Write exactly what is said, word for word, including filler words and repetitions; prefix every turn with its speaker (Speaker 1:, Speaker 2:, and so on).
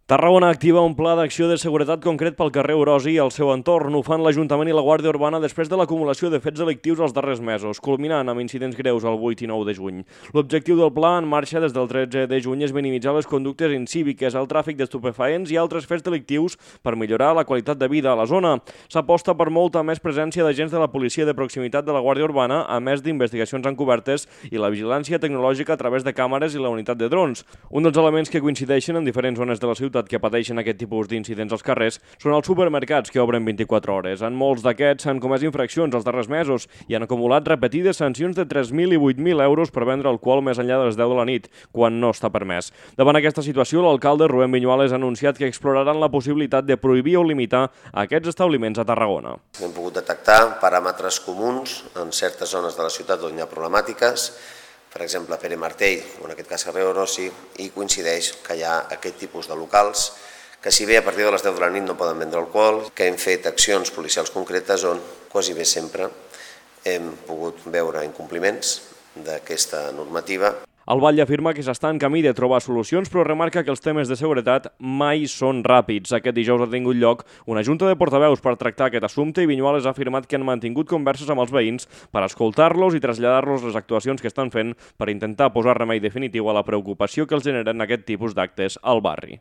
Speaker 1: Tarragona activa un pla d'acció de seguretat concret pel carrer Orosi i el seu entorn. Ho fan l'Ajuntament i la Guàrdia Urbana després de l'acumulació de fets delictius els darrers mesos, culminant amb incidents greus el vuit i nou de juny. L'objectiu del pla, en marxa des del tretze de juny, és minimitzar les conductes incíviques, el tràfic d'estupefaents i altres fets delictius per millorar la qualitat de vida a la zona. S'aposta per molta més presència d'agents de la policia de proximitat de la Guàrdia Urbana, a més d'investigacions encobertes i la vigilància tecnològica a través de càmeres i la unitat de drons. Un dels elements que coincideixen en diferents zones de la ciutat que pateixen aquest tipus d'incidents als carrers són els supermercats que obren vint-i-quatre hores. En molts d'aquests s'han comès infraccions els darrers mesos i han acumulat repetides sancions de tres mil i vuit mil euros per vendre alcohol més enllà de les deu de la nit, quan no està permès. Davant aquesta situació, l'alcalde Rubén Viñuales ha anunciat que exploraran la possibilitat de prohibir o limitar aquests establiments a Tarragona.
Speaker 2: Hem pogut detectar paràmetres comuns en certes zones de la ciutat on hi ha problemàtiques, per exemple, Pere Martell, o en aquest cas carrer Orosi, i coincideix que hi ha aquest tipus de locals que si bé a partir de les deu de la nit no poden vendre alcohol, que hem fet accions policials concretes on quasi bé sempre hem pogut veure incompliments d'aquesta normativa.
Speaker 1: El Batlle afirma que s'està en camí de trobar solucions, però remarca que els temes de seguretat mai són ràpids. Aquest dijous ha tingut lloc una junta de portaveus per tractar aquest assumpte i Viñuales ha afirmat que han mantingut converses amb els veïns per escoltar-los i traslladar-los les actuacions que estan fent per intentar posar remei definitiu a la preocupació que els generen aquest tipus d'actes al barri.